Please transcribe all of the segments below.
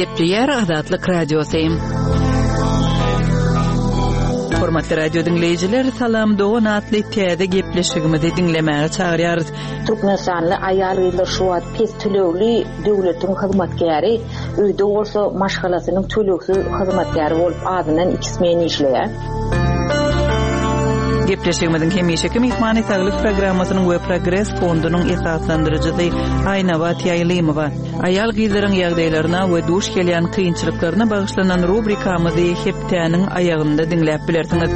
Gepleýär Azatlyk Radiosy. Hormatly radio diňleýjiler, Salam dogan atly täze gepleşigimizi diňlemäge çagyrýarys. Türkmenistanly aýal-gyzlar şu wagt pes tölegli döwletiň hyzmatkäri, öýde bolsa maşgalasynyň tölegsiz hyzmatkäri bolup azyndan iki smen işleýär. Gepleşigimiziň hemişeki myhmany Saglyk programmasynyň we Progres fondunyň esaslandyryjysy Aýnabat Ýaýlymowa. Aýal-gyzlaryň ýagdaýlaryna we duş gelýän kynçylyklaryna bagyşlanan rubrikamyzy hepdäniň aýagynda diňläp bilersiňiz.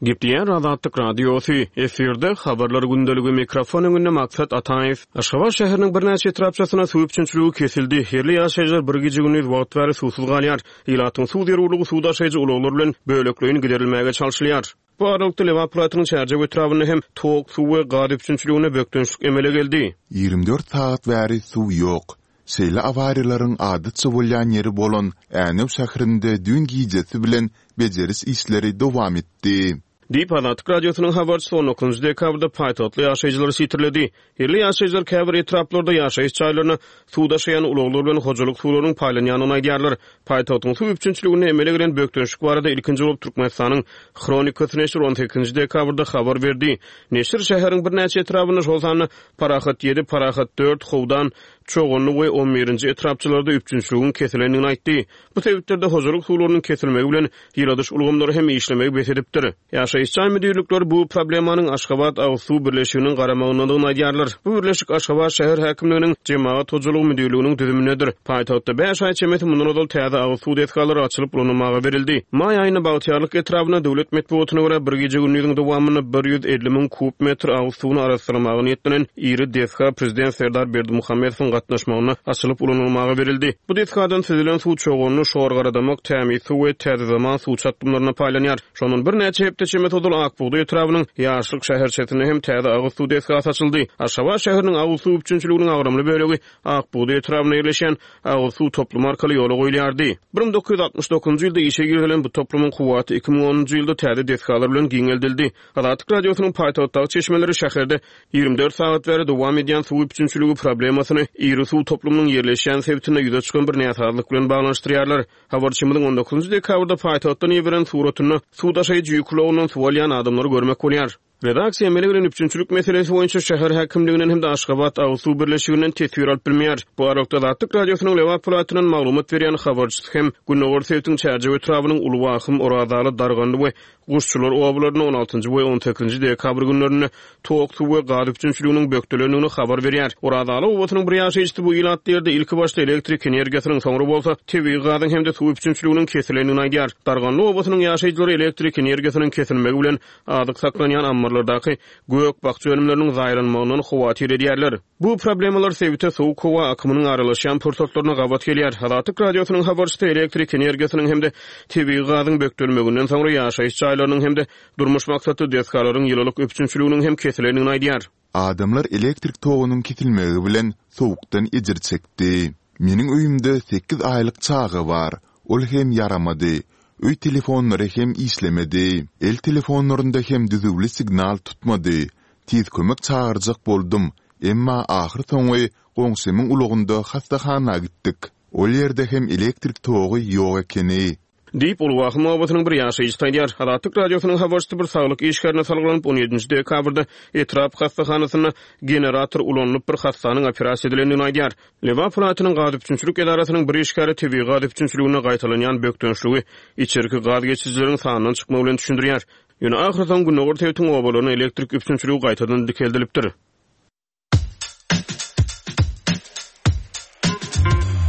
Gepleýär Azatlyk Radiosy, efirde Habarlar gündeligi, mikrofon öňünde Maksat Ataýew. Aşgabat şäheriniň birnäçe etrapçasynda suw üpjünçiligi kesildi. Ýerli ýaşaýjylar bir gije-gündiz wagt bäri suwsuz galýar. Ilatyň suw zerurlygy suw daşaýjy ulaglar bilen bölekleýin giderilmäge çalşylýar. Bu aralykda, Lebap welaýatynyň Çärjew etrabynda hem tok, suw we gaz üpjünçiliginde bökdençlik emele geldi. 24 sagat bäri suw ýok. Şeýle awariýalaryň adatça bolýan ýeri bolan Änew şäherinde düýn gijesi bilen bejeriş işleri dowam etdi. Diýip, Azatlyk Radiosynyň habarçysy on dokuzynjy dekabrda paýtagtly ýaşaýjylary sitirledi. Ýerli ýaşaýjylar käbir etraplarda ýaşaýyş jaýlaryna suw daşaýan ulaglar bilen hojalyk suwlarynyň paýlanýandygyny aýdýarlar. Paýtagtyň suw üpjünçiliginde emele gelen bökdençlik barada ilkinji bolup Türkmenistanyň Hronikasy neşiri on sekizinji dekabrda habar berdi. Neşir şäheriň birnäçe etrabynda, şol sanda Parahat ýedi, Parahat dört, Howdan, Çoganly we on birinji etrapçalarda üpjünçiligiň kesilendigini aýtdy. Bu sebitlerde hojalyk suwlarynyň kesilmegi bilen ýyladyş ulgamlary hem işlemegi bes edipdir. Ýaşaýyş jaý müdirlikleri bu problemanyň Aşgabat agyz suw birleşiginiň garamagyndadygyny aýdýarlar. Bu birleşik Aşgabat şäher häkimliginiň Jemagat hojalygy müdirliginiň düzümindedir. Paýtagtda bäş aý çemesi mundan ozal täze agyz suw desgalary açylyp ulanylmaga berildi. Maý aýynda Bagtyýarlyk etrabynda döwlet metbugatyna görä bir gije-gündiziň dowamynda 150 müň kub metr agyz suwuny arassalamaga niýetlenen iri desga prezident Serdar Berdimuhamedowyň gatnaşmagynda açylyp ulanylmaga berildi. Bu desgadan süzülen suw Çoganly, Şorgaradamak, Tämizsuw we Täze zaman suw çatdymlaryna paýlanýar. Şondan birnäçe hepde çemesi ozal Ak bugdaý etrabynyň Ýaşlyk şäherçesinde hem täze agyz suw desgasy açyldy. Aşgabat şäheriniň agyz suw üpjünçiliginiň agramly bölegi Ak bugdaý etrabynda ýerleşýän agyz suw toplumy arkaly ýola goýulýardy. 1969-njy ýylda işe girizilen bu toplumyň kuwwaty 2010-njy ýylda täze desgalar bilen giňeldildi. Azatlyk Radiosynyň paýtagtdaky çeşmeleri şäherde 24 sagat bäri dowam edýän suw üpjünçiligi problemasyny iri suw toplumynyň ýerleşýän sebitinde ýüze çykan bir näsazlyk bilen baglanyşdyrýarlar. Habarçymyzyň on dokuzynjy dekabrda paýtagtdan iberen suratynda suw daşaýjy ýük ulagyndan suw alýan adamlary görmek bolýar. Redaksiýa emele gelen üpjünçilik meselesi boýunça şäher häkimliginden hem-de Aşgabat agyz suw birleşiginden teswir alyp bilmeýär. Bu aralykda Azatlyk Radiosynyň Lebap welaýatyndan maglumat berýän habarçysy hem gündogar sebitiň Çärjew etrabynyň Uly Wahym, Orazaly, Darganly we Guşçular obalarynda on altynjy we on sekizinji dekabr günlerinde tok, suw we gaz üpjünçiliginiň bökdelendigini habar berýär. Orazaly obasynyň bir ýaşaýjysy bu ilatly ýerde ilkibaşda elektrik energiýasynyň, soňra bolsa tebigy gazyň hem-de suw üpjünçiliginiň kesilendigini aýdýar. Darganly obasynyň ýaşaýjylary elektrik energiýasynyň kesilmegi bilen azyk saklanýan ammarlardaky gök-bakja önümleriniň zaýalanmagyndan howatyr edýärler. Bu problemalar sebite sowuk howa akymynyň aralaşýan pursatlaryna gabat gelýär. Azatlyk Radiosynyň habarçysy elektrik energiýasynyň hem-de tebigy gazyň bökdelmeginden soňra ýaşaýyş jaýlarynyň hem-de durmuş maksatly desgalaryň ýylylyk üpjünçiliginiň hem kesilendigini aýdýar. Adamlar elektrik togunyň kesilmegi bilen sowukdan ejir çekdi. Meniň öýümde sekiz aýlyk çaga bar. Ol hem ýaramady. Öý telefonlary hem işlemedi. El telefonlarynda hem düzüwli signal tutmady. Tiz kömek çagyrjak boldum, emma ahyrsoňy goňşymyň ulagynda hassahana gitdik. Ol ýerde hem elektrik togy ýok ekeni. Diýip, Ulwahym obasynyň bir ýaşaýjysy aýdýar. Azatlyk Radiosynyň habarçysy bir saglyk işgärine salgylanyp, on ýedinji dekabrda etrap hassahanasynda generator ulanylyp, bir hassanyň operasiýa edilendigini aýdýar. Lebap welaýatynyň gaz üpjünçilik edarasynyň bir işgäri tebigy gaz üpjünçiliginde gaýtalanýan bökdençligi içerki gaz geçirijileriň sandan çykmagy bilen düşündirýär. Ýöne ahyrsoňy gündogar sebitiň obalarynda elektrik üpjünçiligi gaýtadan dikeldilipdir.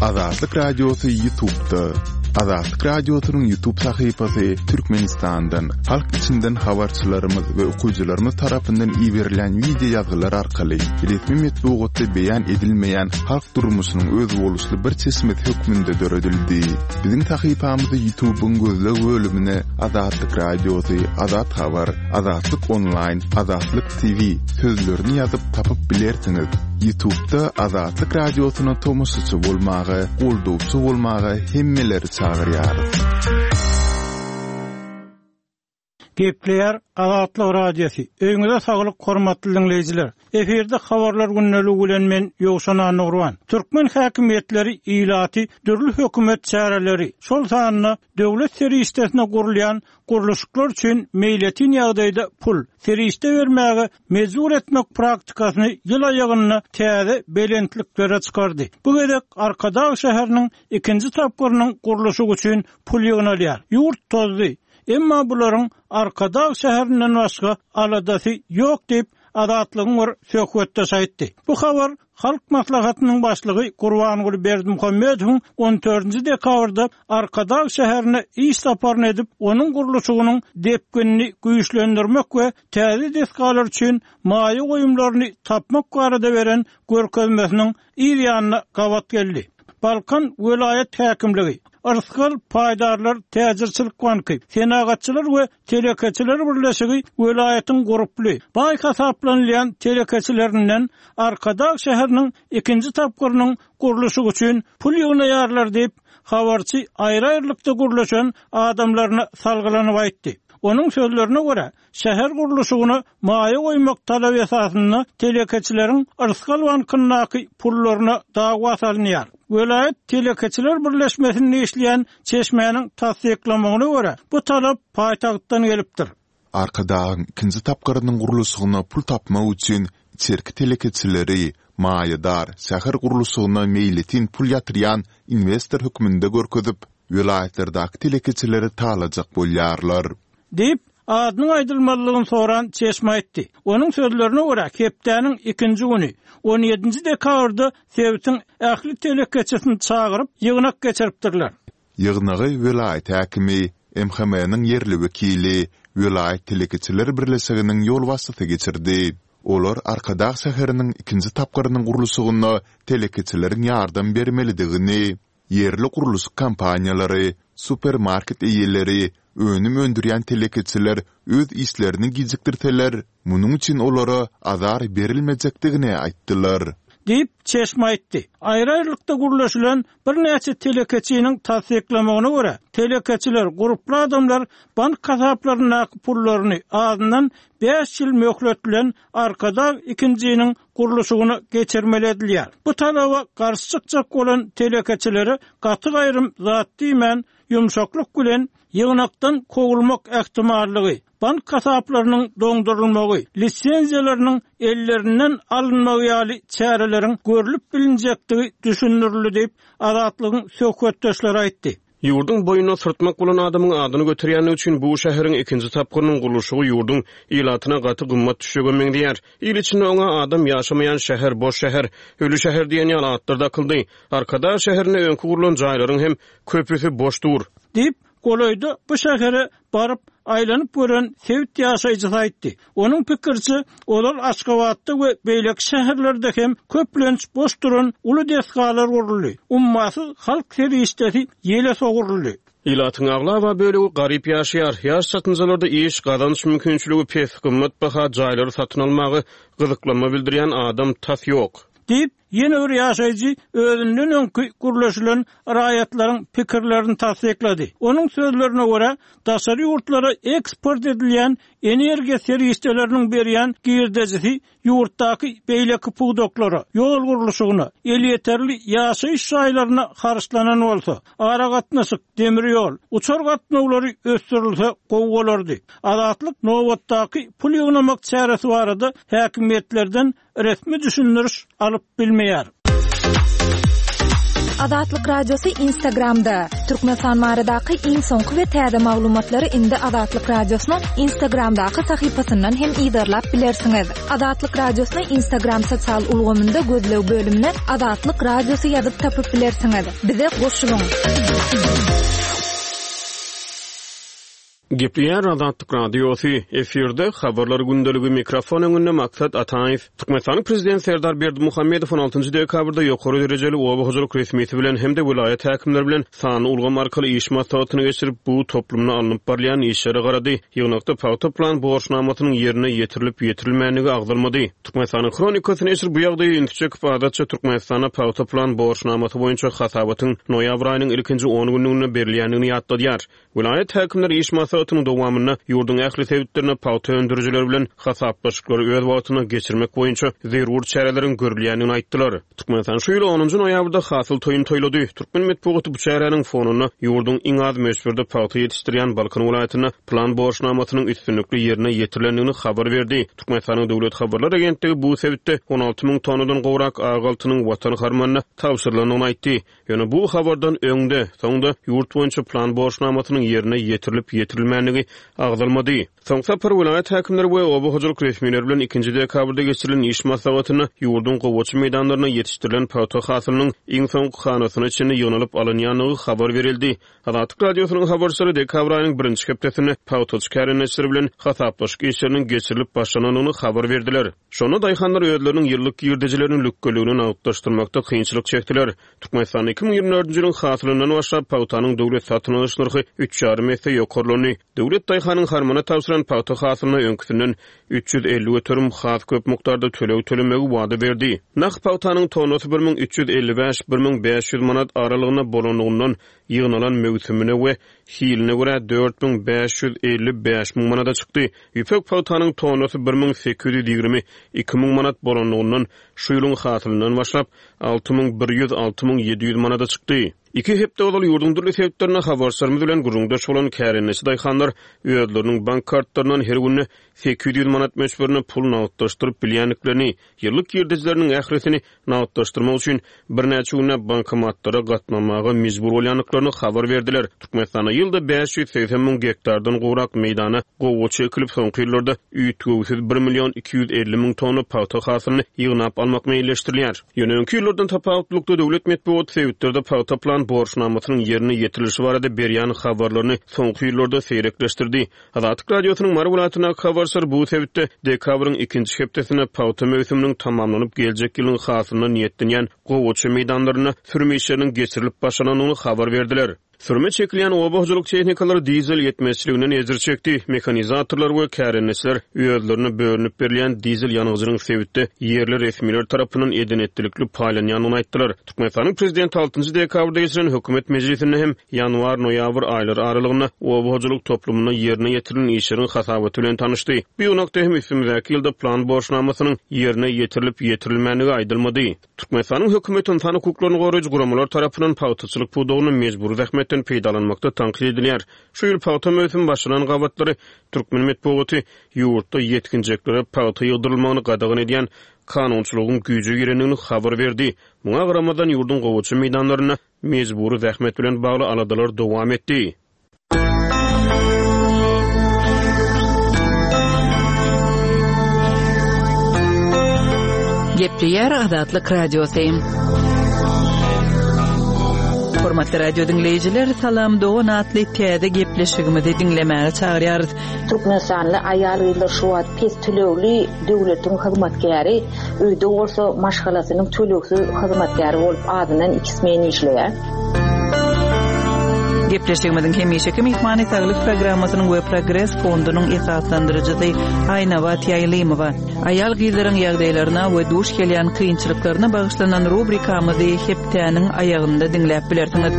Azatlyk Radiosy Ýutubda. Azatlyk Radiosynyň Ýutub sahypasy Türkmenistandan, halk içinden habarçylarymyz we okyjylarymyz tarapyndan iberilen wideo ýazgylar arkaly resmi metbugatda beýan edilmeýän halk durmuşynyň özboluşly bir çeşmesi hökmünde döredildi. Biziň sahypamyzy Ýutubyň gözleg bölümine Azatlyk Radiosy, Azat Habar, Azatlyk Onlaýn, Azatlyk TV sözlerini ýazyp tapyp bilersiňiz. Ýutubda Azatlyk Radiosyna tomaşaçy bolmaga, goldawçy bolmaga hemmeleri çagyrýarys. Gepleýär Azatlyk Radiosy. Öýüňize saglyk hormatly diňleýjiler. Efirde habarlar gündeligi bilen men Ýowşan Annagurban. Türkmen häkimiýetleri ilaty dürli hökümet çäreleri, şol sanda döwlet serişdesine gurulýan gurluşyklar üçin meýletin ýagdaýda pul, serişde bermäge mejbur etmek praktikasyny ýyl aýagynda täze belentliklere çykardy. Bu gezek Arkadag şäheriniň ikinji tapgyrynyň gurluşygy üçin pul ýygnalýar. Ýurt tozdy. Emma bularyň Arkadag şäherinden başga aladasy ýok diýip, Azatlygyň bir söhbetdeşi aýtdy. Bu habar Halk Maslahatynyň başlygy Gurbanguly Berdimuhamedowyň on dördünji dekabrda Arkadag şäherine iş saparyny edip, onuň gurluşygynyň depginini güýçlendirmek we täze desgalar üçin maýa goýumlaryny tapmak barada beren görkezmesiniň yz ýanyna gabat geldi. Balkan welaýat häkimligi, Yrsgal paýdarlar täjirçilik banky, Senagatçylar we telekeçiler birleşigi welaýatyň gurply, baý hasaplanylýan telekeçilerinden Arkadag şäheriniň ikinji tapgyrynyň gurluşygy üçin pul ýygnaýarlar diýip, habarçy aýry-aýrylykda gürleşen adamlaryna salgylanyp aýtdy. Onuň sözlerine görä, Şäher gurluşygyna maýa goýmak talaby esasynda telekeçileriň Yrsgal bankyndaky pullaryna dawa salynýar. Welaýat telekeçiler birleşmesinde işleýän çeşmäniň tassyklamagyna görä, bu talap paýtagtdan gelipdir. Arkadagyň ikinji tapgyrynyň gurluşygyna pul tapmak üçin içerki telekeçileri maýadar, şäher gurluşygyna meýletin pul ýatyrýan inwestor hökmünde görkezip, welaýatlardaky telekeçileri talajak bolýarlar. Diýip, adynyň aýdylmazlygyny soran çeşme aýtdy. Onuň sözlerine görä, hepdäniň ikinji güni, on ýedinji dekabrda sebitiň ähli telekeçisini çagyryp, ýygnak geçiripdirler. Ýygnagy welaýat häkimi, MHM-niň ýerli wekili, welaýat telekeçiler birleşiginiň ýolbaşçysy geçirdi. Olar Arkadag şäheriniň ikinji tapgyrynyň gurluşygyna telekeçileriň ýardam bermelidigini, Ýerli gurluşyk kompaniýalary, supermarket eýeleri, önüm öndürýän telekeçiler öz işlerini gijikdirseler, munuň üçin olara azar berilmejekdigini aýtdylar. Diýip, çeşme aýtdy. Aýry-aýrylykda gürleşilen birnäçe telekeçiniň tassyklamagyna görä, telekeçiler, gurply adamlar bank hasaplaryndaky pullaryny azyndan bäş ýyl möhlet bilen Arkadag ikinjiniň gurluşygyna geçirmeli edilýär. Bu talaba garşy çykjak bolan telekeçilere gaty-gaýrym zat diýmän, ýumşaklyk bilen ýygnakdan kowulmak ähtimallygy, bank hasaplarynyň doňdurylmagy, lisenziýalarynyň ellerinden alynmagy ýaly çäreleriň görlüp bilinjekdigi düşündirildi diýip, Azatlygyň söhbetdeşleri aýtdy. Ýurduň boýnuna syrtmak bolan adamyň adyny göterýändigi üçin bu şäheriň ikinji tapgyrynyň gurluşygy ýurduň ilatyna gaty gymmat düşjege meňzeýär. Il içinde oňa adam ýaşamaýan şäher, boş şäher, öli şäher diýen ýaly atlar dakyldy. Arkadag şäherinde öňki gurlan jaýlaryň hem köpüsi boş dur. Diýip, golaýda bu şähere baryp, aýlanyp gören sebit ýaşaýjysy aýtdy. Onuň pikiriçe, ozal Aşgabatda we beýleki şäherlerde hem köplenç boş duran uly desgalar guruldy, ummasyz halk serişdesi ýele sowruldy. Ilatyň aglaba bölegi garyp ýaşaýar. Ýaş çatynjalarda iş, gazanç mümkinçiligi pes, gymmatbaha jaýlary satyn almaga gyzyklanma bildirýän adam tas ýok. Diýip, ýene bir ýaşaýjy özünden öňki gürleşilen raýatlaryň pikirlerini tassyklady. Onuň sözlerine görä, daşary ýurtlara eksport edilýän energiýa serişdeleriniň berýän girdejisi ýurtdaky beýleki pudaklara, ýol gurluşygyna, elýeterli ýaşaýyş jaýlaryna harçlanan bolsa, aragatnaşyk, demir ýol, uçar gatnawlary ösdürilse gowy bolardy. Azatlyk nobatdaky pul ýygnamak çäresi barada häkimiýetlerden resmi düşündiriş alyp bilmeýär. Azatlyk Radiosy Instagramda, Türkmenistan baradaky iň soňky we täze maglumatlary indi Azatlyk Radiosynyň Instagramdaky sahypasyndan hem yzarlap bilersiňiz. Azatlyk Radiosyny Instagram sosial ulgamynda gözleg bölümine Azatlyk Radiosy ýazyp tapyp bilersiňiz. Bize goşulyň! Gepleýär Azatlyk Radiosy, efirde Habarlar gündeligi, mikrofon öňünde Maksat Ataýew. Türkmenistanyň Prezidenti Serdar Berdimuhamedow on altynjy dekabrda ýokary derejeli oba hojalyk resmisi bilen hem-de welaýat häkimleri bilen sanly ulgam arkaly iş maslahatyny geçirip, bu toplumda alnyp barylýan işlere garady. Ýygnakda pagta plan borçnamasynyň ýerine ýetirilip-ýetirilmändigi agzalmady. Türkmenistanyň Hronikasy neşiri bu ýagdaýa ünsi çekip, adatça Türkmenistanda pagta plan borçnamasy boýunça hasabatyň noýabr aýynyň ilkinji on günlüginde berilýändigini ýatladýar. Welaýat häkimleri iş maslahatyny. maslahatynyň dowamynda ýurduň ähli sebitlerinde pagta öndürijiler bilen hasaplaşyklary öz wagtynda geçirmek boýunça zerur çäreleriň görülýändigini aýtdylar. Türkmenistan şu ýyl onunjy noýabrda hasyl toýuny toýlady. Türkmen metbugaty bu çäräniň fonunda ýurduň iň az möçberde pagta ýetişdirýän Balkan welaýatynda plan borçnamasynyň üstünlikli ýerine ýetirilendigini habar berdi. Türkmenistanyň döwlet habarlar agentligi bu sebitde 16 müň tonnadan gowrak ak altynyň Watan harmanyna tabşyrylandygyny aýtdy. Ýöne bu habardan öň-de, soň-da ýurt boýunça plan borçnamasynyň ýerine ýetirilip-ýetirilmändigi agzalmady. Soňky sapar welaýat häkimleri we oba hojalyk resmileri bilen ikinji dekabrda geçirilen iş maslahatynda ýurduň gowaça meýdanlarynda ýetişdirilen pagta hasylynyň iň soňky hanasyna çenli ýygnalyp alynýandygy habar berildi. Azatlyk Radiosynyň habarçylary dekabr aýynyň birinji hepdesinde pagtaçy kärendeçiler bilen hasaplaşyk işleriniň geçirilip başlanandygyny habar berdiler. Şonda daýhanlar özleriniň ýyllyk girdejilerini lükgeligine nagtlaşdyrmakda kynçylyk çekdiler. Türkmenistanda 2024-nji ýylyň hasylyndan başlap pagtanyň döwlet satyn alyş nyrhy üç ýarym esse ýokarlandy. Döwlet daýhanyň harmana tabşyran pagta hasylyna öňküsinden 350% has köp mukdarda töleg tölemegi wada berdi. Nah pagtanyň tonnasy 1355, 1500 manat aralygynda bolanlygyndan ýygnalan möwsümine we hiline görä 4555 müň manada çykdy. Ýüpek pagtanyň tonnasy 1820, 2000 manat bolanlygyndan şu ýylyň hasylyndan başlap 6100, 6700 manada çykdy. Iki hepde ozal ýurduň dürli sebitlerinde habarçylarymyz bilen gürrüňdeş bolan kärendeçi daýhanlar özleriniň bank kartlaryndan her günde 800 manat möçberinde pul nagtlaşdyryp bilýändiklerini, ýyllyk girdejileriniň ählisini nagtlaşdyrmak üçin birnäçe günläp bankomatlara gatnamaga mejbur bolýandyklaryny habar berdiler. Türkmenistanda ýylda 580 müň gektardan gowrak meýdana gowaça ekilip, soňky ýyllarda üýtgewsiz bir million 250 müň tonna pagta hasylyny ýygnap almak meýilleşdirilýär. Ýöne öňki ýyllardan tapawutlylykda, döwlet metbugaty sebitlerde pagta plan borçnamasynyň ýerine ýetirilişi barada berýän habarlaryny soňky ýyllarda seýrekleşdirdi. Azatlyk Radiosynyň Mary welaýatyndaky habarçylary bu sebitde dekabryň ikinji hepdesinde pagta möwsüminiň tamamlanyp, geljek ýylyň hasylyna niýetlenýän gowaça meýdanlarynda sürüm işleriniň geçirilip başlanandygyny habar berdiler. Sürüme çekilýän oba hojalyk tehnikalary dizel ýetmezçiliginden ejir çekdi. Mehanizatorlar we kärendeçiler özlerine bölünip berilýän dizel ýangyjynyň sebitde ýerli resmiler tarapyndan eden-etdilikli paýlanýandygyny aýtdylar. Türkmenistanyň Prezidenti altynjy dekabrda geçiren hökümet mejlisinde hem ýanwar-noýabr aýlary aralygynda oba hojalyk toplumynda ýerine ýetirilen işleriň hasabaty bilen tanyşdy. Bu ýygnakda hem üstümizdäki ýylda plan borçnamasynyň ýerine ýetirilip ýetirilmändigi aýdylmady. Türkmenistanyň hökümeti ynsan hukuklaryny goraýjy guramalar tarapyndan pagtaçylyk pudagynda mejbury zähmetden peýdalanmakda tankyt edilýär. Şu ýyl pagta möwsümi başlanan gabatlary türkmen metbugaty ýurtda ýetginjeklere pagta ýygdyrylmagyny gadagan edýän kanunçylygyň güýje girendigini habar berdi. Muňa garamazdan, ýurduň gowaça meýdanlarynda mejbury zähmet bilen bagly aladalar dowam etdi. Gepleýär Azatlyk Radiosy. Hormatly radio diňleýjiler, Salam dogan atly täze gepleşigimizi diňlemäge çagyrýarys. Türkmenistanly aýal-gyzlar şu wagt pes tölegli döwletiň hyzmatkäri, öýde bolsa maşgalasynyň tölegsiz hyzmatkäri bolup azyndan iki smen işleýär. Gepleşigimiziň hemişeki myhmany Saglyk programmasynyň we Progres fondunyň esaslandyryjysy Aýnabat Ýaýlymowa. Aýal-gyzlaryň ýagdaýlaryna we duş gelýän kynçylyklaryna bagyşlanan rubrikamyzy hepdäniň aýagynda diňläp bilersiňiz.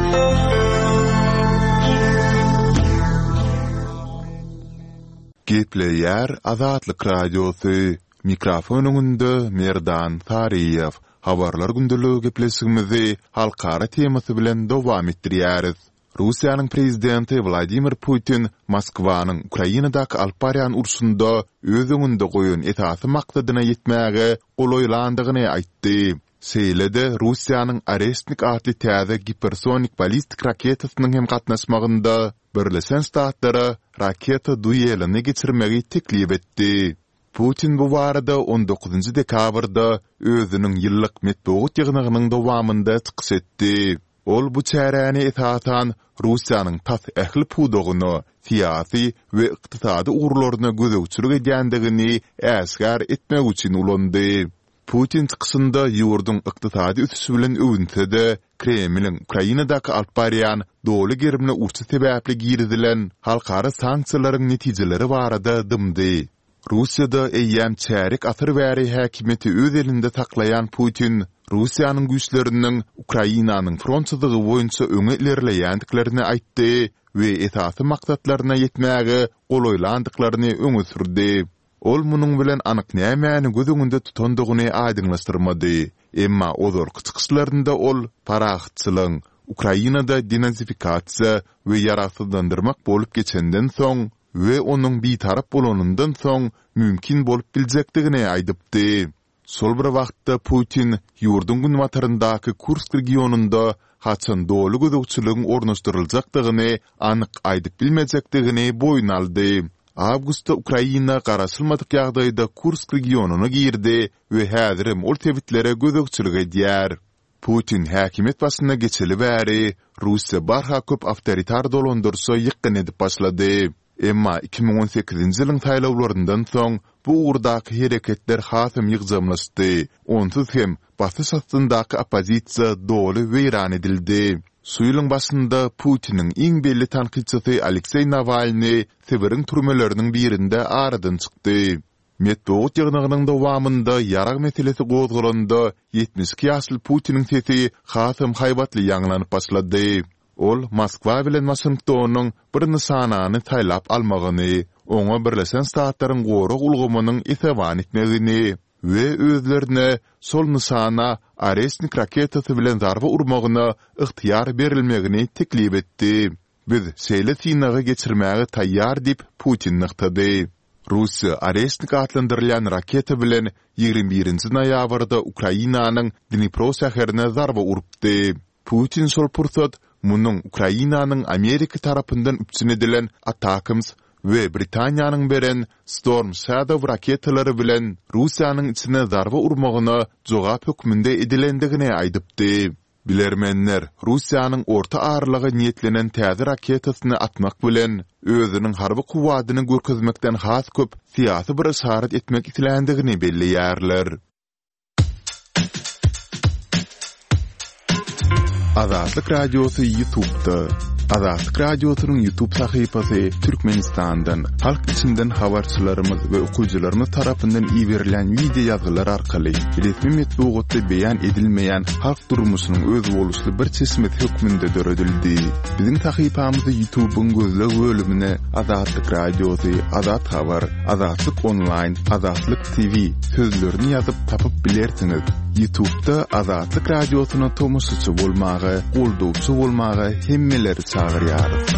Gepleýär Azatlyk Radiosy, Mikrofon öňünde Merdan Saryýew. Habarlar gündeligi gepleşigimizi halkara temasy bilen dowam etdirýäris. Russiýanyň prezidenti Wladimir Putin Moskwanyň Ukrainadaky alyp barýan urşunda öz öňünde goýan esasy maksadyna ýetmäge golaýlandygyny aýtdy. Şeýle-de Russiýanyň Oreşnik atly täze gipersonik ballistik raketasynyň hem gatnaşmagynda Birleşen Ştatlara raketa duelini geçirmegi teklip etdi. Putin bu barada on dokuzynjy dekabrda özüniň ýyllyk metbugat ýygnagynyň dowamynda çykyş etdi. Ol bu çäräni esasan Russiýanyň tas ähli pudagyna, syýasy we ykdysady ugurlaryna gözegçilik edýändigini äşgär etmek üçin ulandy. Putin çykyşynda ýurduň ykdysady ösüşi bilen öwünse-de, Kremliň Ukrainadaky alyp barýan doly gerimli urşy sebäpli girizilen halkara sanksiýalaryň netijeleri barada dymdy. Russiýada eýýäm çärýek asyr bäri häkimiýeti öz elinde saklaýan Putin Russiýanyň güýçleriniň Ukrainanyň front çyzygy boýunça öňe ilerleýändiklerini aýtdy. we esasy maksatlaryna ýetmäge golaýlandyklaryny öňe sürdi. Ol munuň bilen anyk nämäni göz öňünde tutandygyny aýdyňlaşdyrmady. Emma ozalky çykyşlarynda ol parahatçylygyň Ukrainada denazifikasiýa we ýaragsyzlandyrmak bolup geçenden soň we onuň bitarap bolanyndan soň mümkin bolup biljekdigini aýdypdy. Şol bir wagtda, Putin ýurduň günbataryndaky Kursk regionynda haçan doly gözegçiligiň ornaşdyryljakdygyny anyk aýdyp bilmejekdigini boýun aldy. Awgustda Ukraina garaşylmadyk ýagdaýda Kursk regionyna girdi we häzirem ol sebitlere gözegçilik edýär. Putin häkimiýet başyna geçeli bäri, Russiýa barha köp awtoritar dolandyryşa ýykgyn edip başlady. Emma 2018-nji ýylyň saýlawlaryndan soň bu ugurdaky hereketler hasam ýygjamlaşdy, onsuz hem basyş astyndaky oppozisiýa doly weýran edildi. Şu ýylyň başynda Putiniň iň belli tankytçysy Alekseý Nawalnyý Sibiriň türmeleriniň birinde aradan çykdy. Metbugat ýygnagynyň dowamynda ýarag meselesi gozgalanda, 72 ýaşly Putiniň sesi hasam haýbatly ýaňlanyp başlady. Ol Moskwa bilen Waşingtonyň bir nyşanany saýlap almagyny, oňa Birleşen Ştatlaryň gorag ulgamynyň esewan etmegini we özlerine şol nyşana Oreşnik raketasy bilen zarba urmagyna ygtyýar berilmegini teklip etdi. Biz şeýle synagy geçirmäge taýýar diýip, Putin nygtady. Russiýa Oreşnik atlandyrylýan raketa bilen 21 nji noýabrda Ukrainanyň Dnipro şäherine zarba urupdy. Putin şol pursat munuň Ukrainanyň Amerika tarapyndan üpjün edilen ATACMS we Britaniýanyň beren Storm Shadow raketalary bilen Russiýanyň içine zarba urmagyna jogap hökmünde edilendigini aýdypdy. Bilermenler Russiýanyň orta aralyga niýetlenen täze raketasyny atmak bilen, özüniň harby kuwwadyny görkezmekden has köp syýasy bir yşarat etmek isländigini belleýärler. Azatlyk Radiosy Ýutubda Azatlyk Radiosynyň Ýutub sahypasy Türkmenistandan, halk içinden habarçylarymyz we okyjylarymyz tarapyndan iberilen wideo ýazgylar arkaly resmi metbugatda beýan edilmeýän halk durmuşynyň özboluşly bir çeşmesi hökmünde döredildi. Biziň sahypamyzy Ýutubyň gözleg bölümine Azatlyk Radiosy, Azat Habar, Azatlyk Onlaýn, Azatlyk TV sözlerini ýazyp tapyp bilersiňiz. Ýutubda Azatlyk Radiosyna tomaşaçy bolmaga, goldawçy bolmaga hemmeleri çagyrýarys.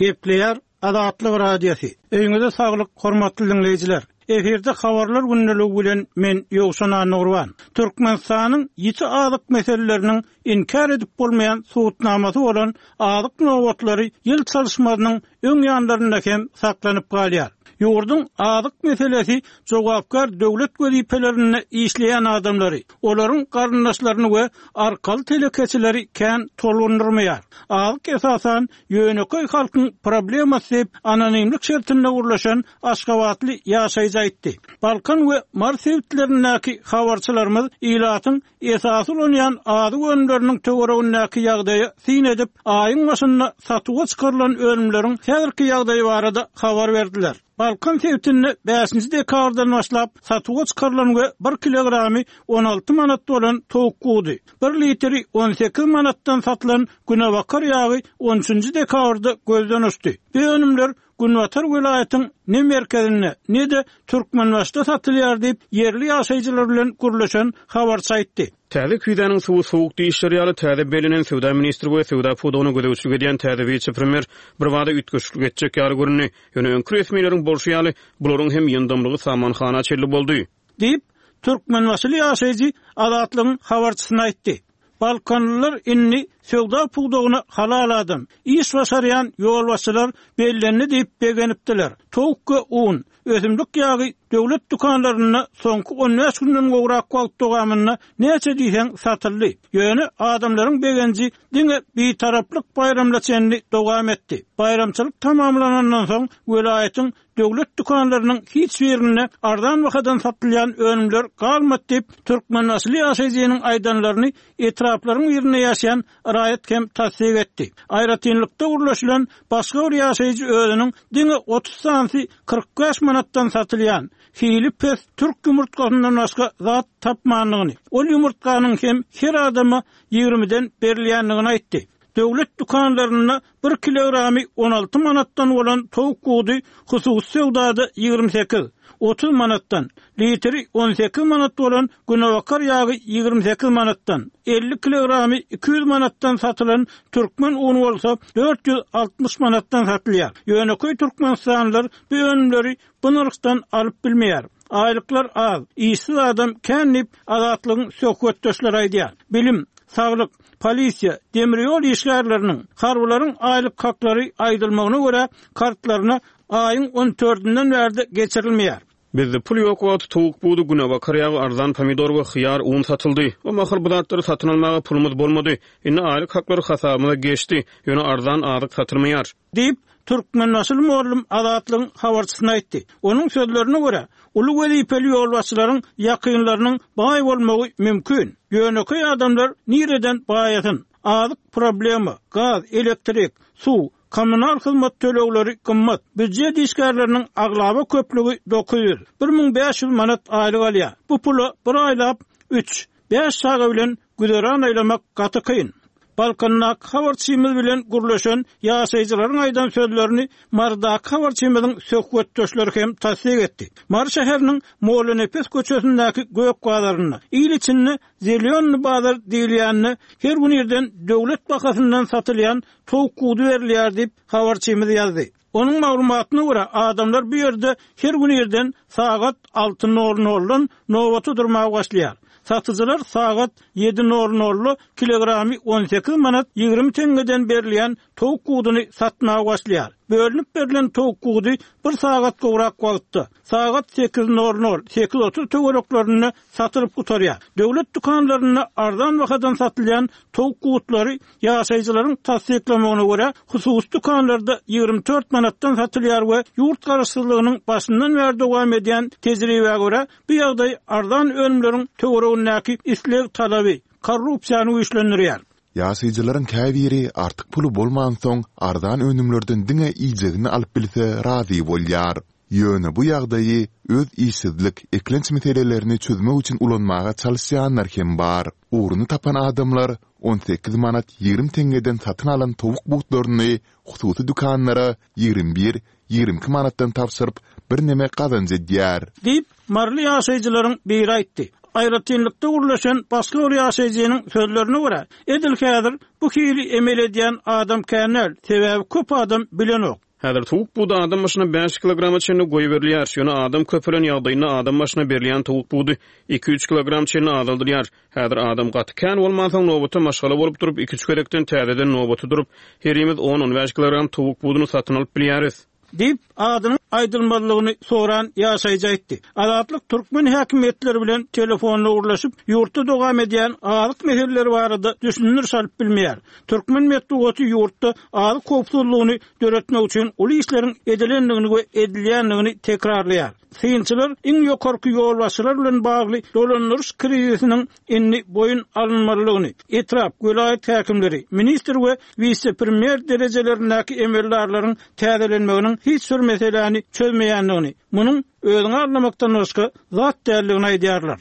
Gepleýär Azatlyk Radiosy. Öýüňize saglyk, hormatly diňleýjiler! Efirde habarlar gündeligi bilen men Ýowşan Annagurban. Türkmenistanyň ýiti azyk meseleleriniň inkär edip bolmaýan subutnamasy bolan azyk nobatlary ýyl çalyşmazynyň öň ýanlarynda hem saklanyp galýar. Ýurduň azyk meselesi jogapkär döwlet wezipelerinde işleýän adamlary, olaryň garyndaşlaryny we arkaly telekeçileri kän tolgundyrmaýar. Azyk esasan ýönekeý halkyň problemasy diýip, anonimlik şertinde gürleşen aşgabatly ýaşaýjy aýtdy. Balkan we Mary sebitlerindäki habarçylarymyz ilatyň esasy ulanýan azyk önümleriniň töweregindäki ýagdaýa syn edip, aýyň başynda satuwa çykarylan önümleriň häzirki ýagdaýy barada habar berdiler. Balkan sebitinde bäşinji dekabrdan başlap satuwa çykarylan we bir kilogramy 16 manat bolan towuk gudy, bir litri 18 manatdan satylan günebakar ýagy on üçünji dekabrda gözden uçdy. Bu önümler günbatar welaýatyň ne merkezinde, ne-de Türkmenbaşyda satylýar diýip, ýerli ýaşaýjylar bilen gürleşen habarçy aýtdy. Täze küýzäniň suwy sowuk diýişleri ýaly, täze bellenen söwda ministri we söwda pudagyna gözegçilik edýän täze wise-premýer birbada üýtgeşiklik etjek ýaly göründi. Ýöne öňki resmileriň bolşy ýaly, bularyň hem ýyndamlygy samanhana çenli boldy. Diýip, türkmenbaşyly ýaşaýjy Azatlygyň habarçysyna aýtdy. Balkanlylar indi söwda pudagyna halal adam, iş başarýan ýolbaşçylar bellendi diýip begenipdiler. Towuk we un, ösümlik ýagy döwlet dükanlarynda soňky on bäş günden gowrak wagt dowamynda näçe diýseň satyldy. Ýöne adamlaryň begenji diňe Bitaraplyk baýramyna çenli dowam etdi. Baýramçylyk tamamlanandan soň welaýatyň Döwlet dükanlarynyň hiç birinde arzan bahadan satylýan önümler galmady diýip, türkmenbaşyly ýaşaýjynyň aýdanlaryny etraplaryň birinde ýaşaýan raýat hem tassyk etdi. Aýratynlykda gürleşilen başga bir ýaşaýjy özüniň diňe 30 sanysy 45 manatdan satylýan, hili pes türk ýumurtgasyndan başga zat tapmandygyny, ol ýumurtganyň hem her adama ýigrimiden berilýändigini aýtdy. Döwlet dükanlarynda bir kilogramy 16 manatdan bolan towuk budy hususy söwdada 28, 30 manatdan, litri 18 manat bolan günebakar ýagy 28 manatdan, 50 kilogramy 200 manatdan satylan türkmen uny bolsa 460 manatdan satylýar. Ýönekeý türkmenistanlylar bu önümleri bu nyrhdan alyp bilmeýär. Aýlyklar az, işsiz adam kän diýip, Azatlygyň söhbetdeşleri aýdýar. Bilim, saglyk, polisiýa, demir ýol işgärleriniň, harbylaryň aýlyk haklary aýdylmagyna görä, kartlaryna aýyň on dördünden bärde geçirilmeýär. Bizde pul ýok wagty towuk budy, günebakar ýagy, arzan pomidor we hyýar, un satyldy. O mahal bu zatlary satyn almaga pulumyz bolmady. Indi aýlyk haklary hasabymyza geçdi, ýöne arzan azyk satylmaýar. Diýip, türkmenbaşyly mugallym Azatlygyň habarçysyna aýtdy. Onuň sözlerine görä, uly wezipeli ýolbaşçylaryň ýakynlarynyň baý bolmagy mümkin. Ýönekeý adamlar nireden baýasyn? Azyk problema, gaz, elektrik, suw, kommunal hyzmat tölegleri gymmat. Býujet işgärleriniň aglaba köplügi 900, 1500 manat aýlyk alýar. Bu pula bir aýlap üç, bäş çaga bilen güzeran aýlamak gaty kyn. Balkandaky habarçymyz bilen gürleşen ýaşaýjylaryň aýdan sözlerini Marydaky habarçymyzyň söhbetdeşleri hem tassyk etdi. Mary şäheriniň Mollanepes köçesindäki gök bazarynda, il içinde Zelýonnyý bazar diýilýände her gün irden döwlet bahasyndan satylýan towuk gudy berilýär diýip, habarçymyz ýazdy. Onuň maglumatyna görä, adamlar bu ýerde her gün irden sagat alty nol noldan nobata durmaga başlaýar. Satyjylar sagat ýedi nol nolda kilogramy 18 manat 20 teňňeden berilýän towuk guduny satmaga başlaýar. Bölünip berlen towuk gudy bir sagat gowrak wagtda, sagat sekiz nol nol, 8:30 töwereklerinde satylyp gutarýar. Döwlet dükanlarynda arzan bahadan satylýan towuk gutlary Ýaşaýjylaryň tassyklamagyna görä, hususy dükanlarda 24 manatdan satylýar we ýurt garaşsyzlygynyň başyndan bäri dowam edýän tejribä görä, bu ýagdaý arzan önümleriň töweregindäki isleg-talaby, korrupsiýany güýçlendirýär. Ýaşaýjylaryň käbiri artyk puly bolmansoň, arzan önümlerden diňe iýjegini alyp bilse razy bolýar. Ýöne bu ýagdaýy öz işsizlik, eklenç meselelerini çözmek üçin ulanmaga çalyşýanlar hem bar. Ugruny tapan adamlar 18 manat 20 teňňeden satyn alan towuk butlaryny hususy dükanlara 21, 22 manatdan tabşyryp, birneme gazanç edýär. Diýip, maryly ýaşaýjylaryň biri aýtdy. Aýratynlykda gürleşen başga bir ýaşaýjynyň sözlerine görä, edil häzir bu hili emel edýän adam kän däl, sebäbi köp adam bilenok. Häzir towuk budy adam başyna bäş kilograma çenli goýberilýär. Ýöne adam köpelen ýagdaýynda adam başyna berilýän towuk budy iki-üç kilogram çenli azaldylýar. Häzir adam gaty kän bolmansoň, nobata maşgala bolup durup, iki-üç gezekden täzeden nobata durup, herimiz on-on bäş kilogram towuk buduny satyn alyp bilýäris. Diýip, adynyň aýdylmazlygyny soran ýaşaýjy aýtdy. Azatlyk türkmen häkimiýetleri bilen telefonda gürleşip, ýurtda dowam edýän azyk meseleleri barada düşündiriş alyp bilmeýär. Türkmen metbugaty ýurtda azyk howpsuzlygyny döretmek üçin uly işleriň edilendigini we edilýändigini tekrarlaýar. Synçylar iň ýokarky ýolbaşçylar bilen bagly dolandyryş krizisiniň indi boýun alynmalydygyny, etrap, welaýat häkimleri, ministr we wise-premýer derejelerindäki emeldarlaryň täzelenmeginiň hiç bir meseläni çözmeýändigini, munuň özüňi aldamakdan başga zat däldigini aýdýarlar.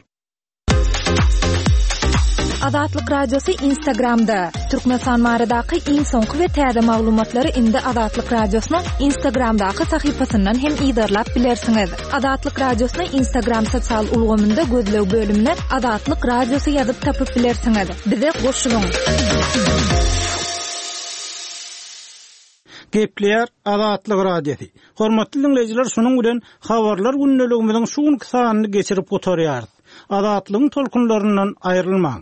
Azatlyk Radiosy Instagramda, Türkmenistan baradaky iň soňky we täze maglumatlary indi Azatlyk Radiosynyň Instagramdaky sahypasyndan hem yzarlap bilersiňiz. Azatlyk Radiosyny Instagram sosial ulgamynda gözleg bölümine Azatlyk Radiosy ýazyp tapyp bilersiňiz. Bize goşulyň! Gepleýär Azatlyk Radiosy. Hormatly diňleýjiler, şunuň bilen Habarlar gündeligimiziň şu günki sanyny geçirip gutarýarys. Azatlygyň tolkunlaryndan aýrylmaň.